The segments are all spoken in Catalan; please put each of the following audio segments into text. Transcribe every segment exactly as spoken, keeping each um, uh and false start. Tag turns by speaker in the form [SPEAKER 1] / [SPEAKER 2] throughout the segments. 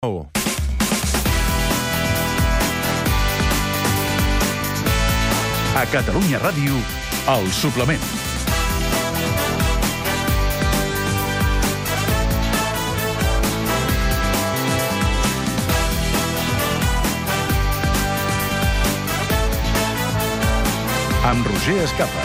[SPEAKER 1] A Catalunya Ràdio, El Suplement. Amb Roger Escapa.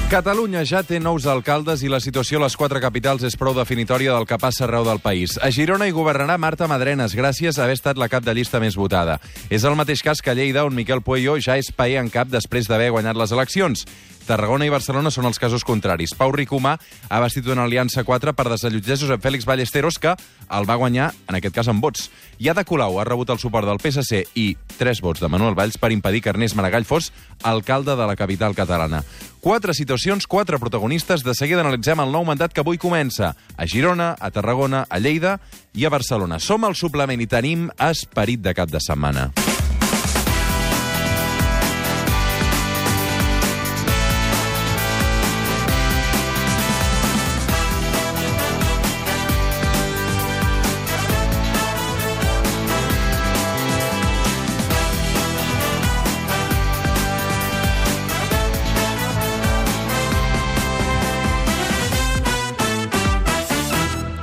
[SPEAKER 2] Catalunya ja té nous alcaldes i la situació a les quatre capitals és prou definitòria del que passa arreu del país. A Girona hi governarà Marta Madrenas, gràcies a haver estat la cap de llista més votada. És el mateix cas que a Lleida, on Miquel Pueyo ja és paer en cap després d'haver guanyat les eleccions. Tarragona i Barcelona són els casos contraris. Pau Ricomà ha vestit una aliança quatre per desallotjar Josep Félix Ballesteros, que el va guanyar, en aquest cas, amb vots. I Ada Colau ha rebut el suport del P S C i tres vots de Manuel Valls per impedir que Ernest Maragall fos alcalde de la capital catalana. Quatre situacions, quatre protagonistes. De seguida analitzem el nou mandat que avui comença a Girona, a Tarragona, a Lleida i a Barcelona. Som al Suplement i tenim esperit de cap de setmana.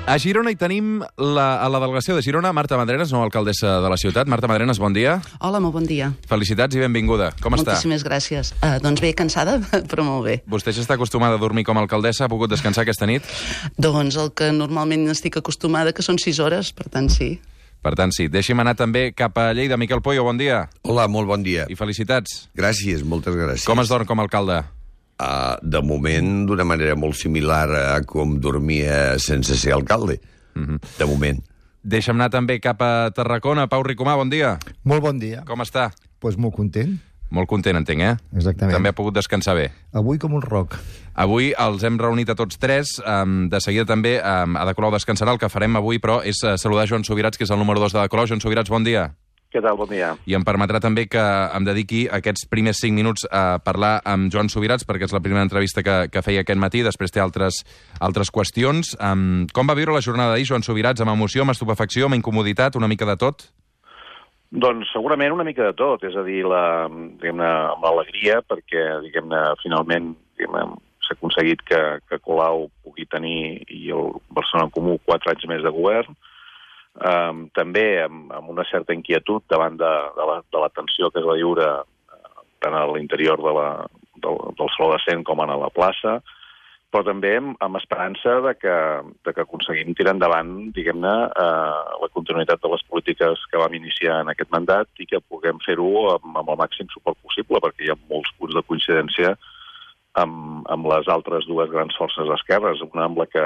[SPEAKER 2] A Girona hi tenim la, a la delegació de Girona Marta Madrenas, nova alcaldessa de la ciutat. Marta Madrenas, bon dia.
[SPEAKER 3] Hola, molt bon dia.
[SPEAKER 2] Felicitats i benvinguda. Com està?
[SPEAKER 3] Moltíssimes gràcies. Uh, doncs bé, cansada, però molt bé.
[SPEAKER 2] Vostè ja està acostumada a dormir com a alcaldessa? Ha pogut descansar aquesta nit?
[SPEAKER 3] Doncs el que normalment estic acostumada, que són sis hores, per tant, sí.
[SPEAKER 2] Per tant, sí. Deixi'm anar també cap a Lleida. Miquel Pueyo, bon dia.
[SPEAKER 4] Hola, molt bon dia.
[SPEAKER 2] I felicitats.
[SPEAKER 4] Gràcies, moltes gràcies.
[SPEAKER 2] Com es dorm com a alcalde?
[SPEAKER 4] Uh, de moment, d'una manera molt similar a com dormia sense ser alcalde. Mm-hmm. De moment.
[SPEAKER 2] Deixa'm anar també cap a Tarragona. Pau Ricomà, bon dia.
[SPEAKER 5] Molt bon dia.
[SPEAKER 2] Com està?
[SPEAKER 5] Doncs pues molt content.
[SPEAKER 2] Molt content, entenc, eh?
[SPEAKER 5] Exactament.
[SPEAKER 2] També ha pogut descansar bé.
[SPEAKER 5] Avui com un roc.
[SPEAKER 2] Avui els hem reunit a tots tres. Um, de seguida també um, Ada Colau descansarà. El que farem avui, però, és uh, saludar Joan Subirats, que és el número dos d'Ada Colau. Joan Subirats, bon dia.
[SPEAKER 6] Què tal? Bon dia.
[SPEAKER 2] I em permetrà també que em dediqui aquests primers cinc minuts a parlar amb Joan Subirats, perquè és la primera entrevista que, que feia aquest matí, després té altres, altres qüestions. Um, com va viure la jornada d'ahir, Joan Subirats? Amb emoció, amb estupefacció, amb incomoditat, una mica de tot?
[SPEAKER 6] Doncs segurament una mica de tot, és a dir, la, diguem-ne, amb l'alegria, perquè, diguem-ne, finalment diguem-ne, s'ha aconseguit que, que Colau pugui tenir, i el Barcelona en Comú, quatre anys més de govern. Um, també amb, amb una certa inquietud davant de, de, la, de la tensió que es va viure uh, tant a l'interior de la, del, del Saló de Cent com a la plaça, però també amb, amb esperança de que, de que aconseguim tirar endavant, diguem-ne, uh, la continuïtat de les polítiques que vam iniciar en aquest mandat i que puguem fer-ho amb, amb el màxim suport possible, perquè hi ha molts punts de coincidència amb, amb les altres dues grans forces d'esquerres, una amb la que,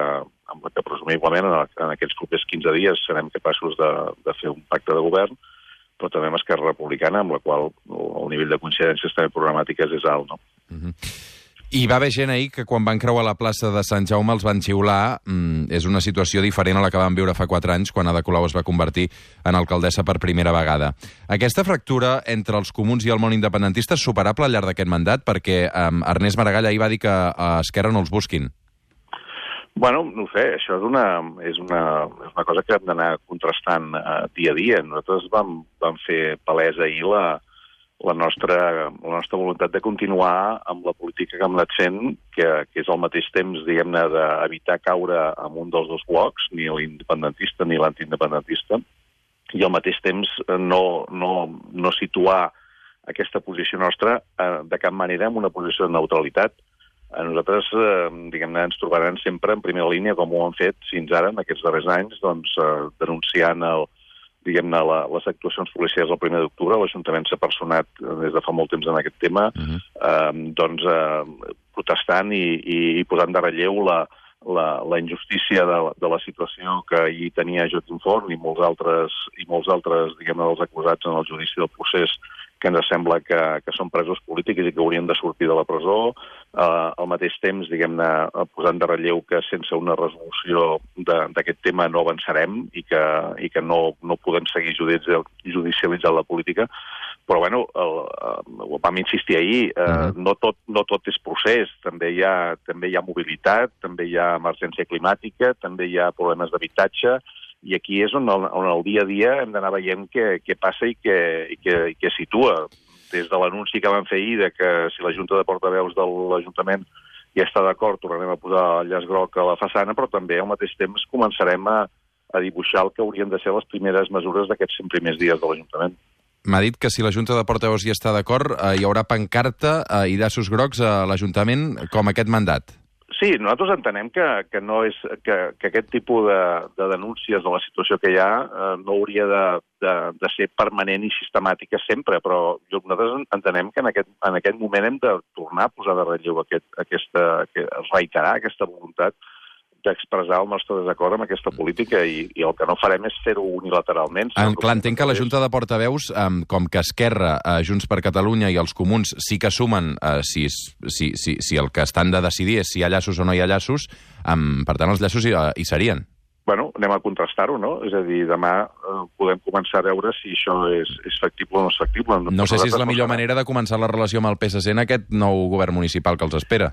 [SPEAKER 6] amb la que presumiblement en, en aquests propers quinze dies serem capaços de, de fer un pacte de govern, però també amb Esquerra Republicana, amb la qual el nivell de coincidències també programàtiques és alt, no?
[SPEAKER 2] Mm-hmm. I va haver gent ahir que quan van creuar la plaça de Sant Jaume els van xiular. Mm, és una situació diferent a la que vam viure fa quatre anys, quan Ada Colau es va convertir en alcaldessa per primera vegada. Aquesta fractura entre els comuns i el món independentista és superable al llarg d'aquest mandat, perquè um, Ernest Maragall ahir va dir que a Esquerra no els busquin.
[SPEAKER 6] Bueno, no ho sé, això és una, és una, és una cosa que hem d'anar contrastant uh, dia a dia. Nosaltres vam, vam fer palesa ahir la, la, nostra, la nostra voluntat de continuar amb la política que hem anat fent, que, que és al mateix temps, diguem-ne, d'evitar caure en un dels dos blocs, ni l'independentista ni l'antiindependentista, i al mateix temps no, no, no situar aquesta posició nostra uh, de cap manera en una posició de neutralitat. A nosaltres, eh, diguem-ne, ens trobaran sempre en primera línia, com ho han fet fins ara, en aquests darrers anys, doncs, eh, denunciant el, diguem-ne, la, les actuacions policials el primer d'octubre. L'Ajuntament s'ha personat des de fa molt temps en aquest tema, uh-huh. eh, doncs, eh, protestant i, i, i posant de relleu la, la, la injustícia de, de la situació que hi tenia Joaquim Forn i molts altres, i molts altres, diguem-ne, dels acusats en el judici del procés, que ens sembla que, que són presos polítics i que haurien de sortir de la presó. Eh, al mateix temps, diguem-ne, posant de relleu que sense una resolució d'aquest tema no avançarem i que, i que no, no podem seguir judicialitzant la política. Però, bueno, el, el, vam insistir ahir, eh, uh-huh. no, tot, no tot és procés, també hi, ha, també hi ha mobilitat, també hi ha emergència climàtica, també hi ha problemes d'habitatge, i aquí és on el, on el dia a dia hem d'anar veient què, què passa i què, i què, i què situa. Des de l'anunci que van fer ahir de que si la Junta de Portaveus de l'Ajuntament ja està d'acord, tornarem a posar el llaç groc a la façana, però també al mateix temps començarem a, a dibuixar el que haurien de ser les primeres mesures d'aquests cent primers dies de l'Ajuntament.
[SPEAKER 2] M'ha dit que si la Junta de Portaveus hi està d'acord, eh, hi haurà pancarta eh, i llaços grocs a l'Ajuntament com aquest mandat.
[SPEAKER 6] Sí, nosaltres entenem que, que, no és, que, que aquest tipus de, de denúncies de la situació que hi ha eh, no hauria de, de, de ser permanent i sistemàtica sempre, però nosaltres entenem que en aquest, en aquest moment hem de tornar a posar de relleu aquest, aquesta, reiterar aquesta voluntat d'expressar el nostre desacord amb aquesta política i, i el que no farem és fer-ho unilateralment.
[SPEAKER 2] En, clar, entenc que la Junta de Portaveus, um, com que Esquerra, uh, Junts per Catalunya i els Comuns sí que sumen uh, si, si, si, si el que estan de decidir és si hi ha llaços o no hi ha llaços, um, per tant els llaços hi, uh, hi serien.
[SPEAKER 6] Bueno, anem a contrastar-ho, no? És a dir, demà eh, podem començar a veure si això és, és factible o no és factible.
[SPEAKER 2] No sé si és la millor manera de començar la relació amb el P S C en aquest nou govern municipal que els espera.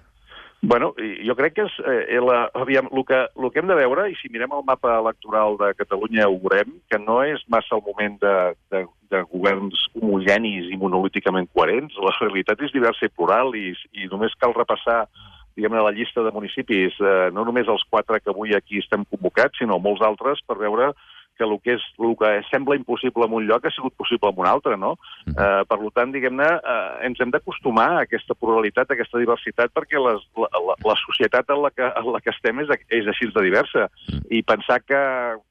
[SPEAKER 6] Bueno, jo crec que és, eh, la, aviam, el, que, el que hem de veure, i si mirem el mapa electoral de Catalunya ho veurem, que no és massa el moment de, de, de governs homogenis i monolíticament coherents. La realitat és diversa i plural i, i només cal repassar diguem-ne, la llista de municipis, eh, no només els quatre que avui aquí estem convocats, sinó molts altres per veure que el que, és, el que sembla impossible en un lloc ha sigut possible en un altre, no? Eh, per tant, diguem-ne, eh, ens hem d'acostumar a aquesta pluralitat, a aquesta diversitat, perquè les, la, la, la societat en la que, en la que estem és, és així de diversa. I pensar que,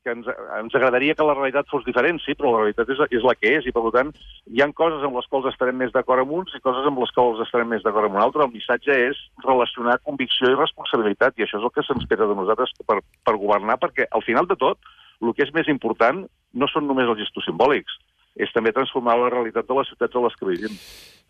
[SPEAKER 6] que ens, ens agradaria que la realitat fos diferent, sí, però la realitat és, és la que és, i per tant, hi ha coses amb les quals estarem més d'acord amb uns i coses amb les quals estarem més d'acord amb un altre. El missatge és relacionar convicció i responsabilitat, i això és el que s'espera de nosaltres per, per governar, perquè al final de tot, el que és més important no són només els gestos simbòlics, és també transformar la realitat de les ciutats a les que vivim.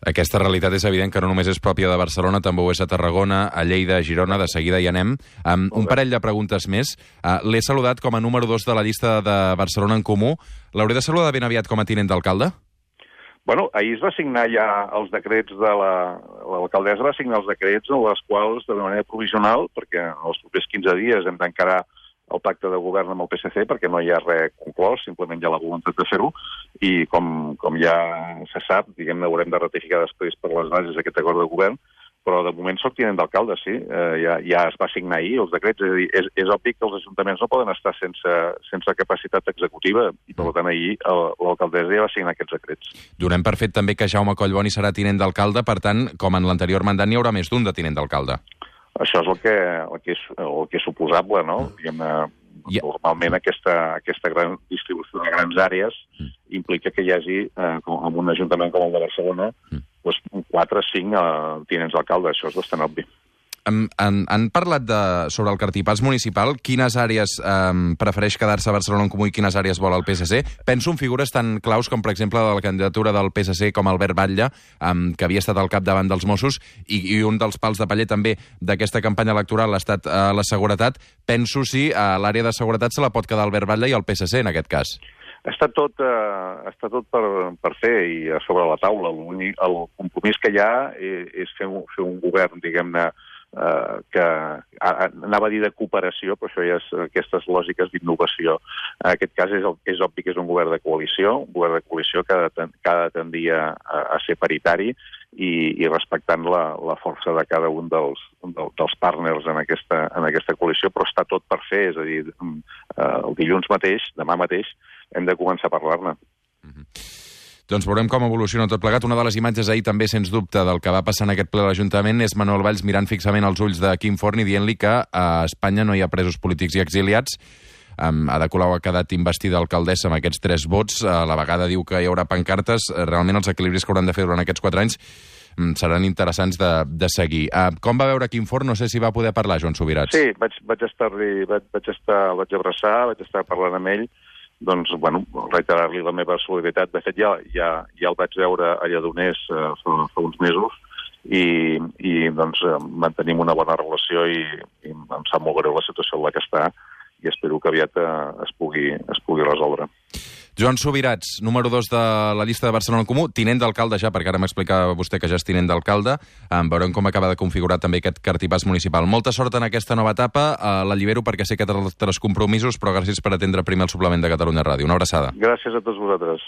[SPEAKER 2] Aquesta realitat és evident que no només és pròpia de Barcelona, també ho és a Tarragona, a Lleida, a Girona, de seguida hi anem. Um, un parell de preguntes més. Uh, L'he saludat com a número dos de la llista de Barcelona en Comú. L'hauré de saludar ben aviat com a tinent d'alcalde?
[SPEAKER 6] Bueno, ahir es va signar ja els decrets de la... L'alcaldessa va signar els decrets en els quals, de manera provisional, perquè en els propers quinze dies hem d'encarar el pacte de govern amb el P S C, perquè no hi ha res conclòs, simplement hi ha la voluntat de fer-ho, i com, com ja se sap, diguem-ne, haurem de ratificar després per les bases aquest acord de govern, però de moment soc tinent d'alcalde, sí, eh, ja, ja es va signar ahir els decrets, és a dir, és, és obvi que els ajuntaments no poden estar sense, sense capacitat executiva, i per tant ahir l'alcaldessa ja va signar aquests decrets.
[SPEAKER 2] Donem per fet també que Jaume Collboni serà tinent d'alcalde, per tant, com en l'anterior mandat, n'hi haurà més d'un de tinent d'alcalde.
[SPEAKER 6] Això és el que, el que, és, el que és suposable, no? Diguem-ne, yeah. Normalment aquesta, aquesta gran distribució de grans àrees mm. implica que hi hagi, eh, com, en un ajuntament com el de Barcelona, mm. doncs, quatre o cinc eh, tinents d'alcalde. Això és bastant obvi.
[SPEAKER 2] Han, han, han parlat de, sobre el cartipàs municipal, quines àrees um, prefereix quedar-se a Barcelona en Comú i quines àrees vol el P S C. Penso en figures tan claus com, per exemple, la candidatura del P S C com Albert Batlle, um, que havia estat al capdavant dels Mossos, i, i un dels pals de paller també d'aquesta campanya electoral ha estat uh, la seguretat. Penso si uh, l'àrea de seguretat se la pot quedar Albert Batlle i el P S C, en aquest cas.
[SPEAKER 6] Està tot, eh, està tot per, per fer i a sobre la taula. El, el compromís que hi ha és, és fer, un, fer un govern, diguem-ne, Uh, que uh, anava a dir de cooperació, però això ja és aquestes lògiques d'innovació. En aquest cas és, el, és obvi que és un govern de coalició, un govern de coalició que ha de, que ha de tendir a, a ser paritari i, i respectant la, la força de cada un dels, del, dels partners en aquesta, en aquesta coalició, però està tot per fer, és a dir, uh, el dilluns mateix, demà mateix, hem de començar a parlar-ne.
[SPEAKER 2] Mm-hmm. Doncs veurem com evoluciona tot plegat. Una de les imatges ahir també, sens dubte, del que va passar en aquest ple a l'Ajuntament és Manuel Valls mirant fixament als ulls de Quim Forn i dient-li que a Espanya no hi ha presos polítics i exiliats. Um, Ada Colau ha quedat investida alcaldessa amb aquests tres vots. A la vegada diu que hi haurà pancartes. Realment els equilibris que hauran de fer durant aquests quatre anys um, seran interessants de, de seguir. Uh, com va veure Quim Forn? No sé si va poder parlar, Joan Subirats.
[SPEAKER 6] Sí, vaig, vaig estar-li, vaig, vaig estar, el vaig abraçar, vaig estar parlant amb ell, doncs, bueno, reiterar-li la meva solidaritat. De fet, ja, ja, ja el vaig veure a Lledoners eh, fa, fa uns mesos i, i doncs, mantenim una bona relació i, i em sap molt greu la situació en la que està i espero que aviat eh, es, pugui, es pugui resoldre.
[SPEAKER 2] Joan Subirats, número dos de la llista de Barcelona en Comú, tinent d'alcalde ja, perquè ara m'explicava vostè que ja és tinent d'alcalde. Um, veurem com acaba de configurar també aquest cartipàs municipal. Molta sort en aquesta nova etapa. Uh, la llibero perquè sé que té altres compromisos, però gràcies per atendre primer el suplement de Catalunya Ràdio. Una abraçada.
[SPEAKER 6] Gràcies a tots vosaltres.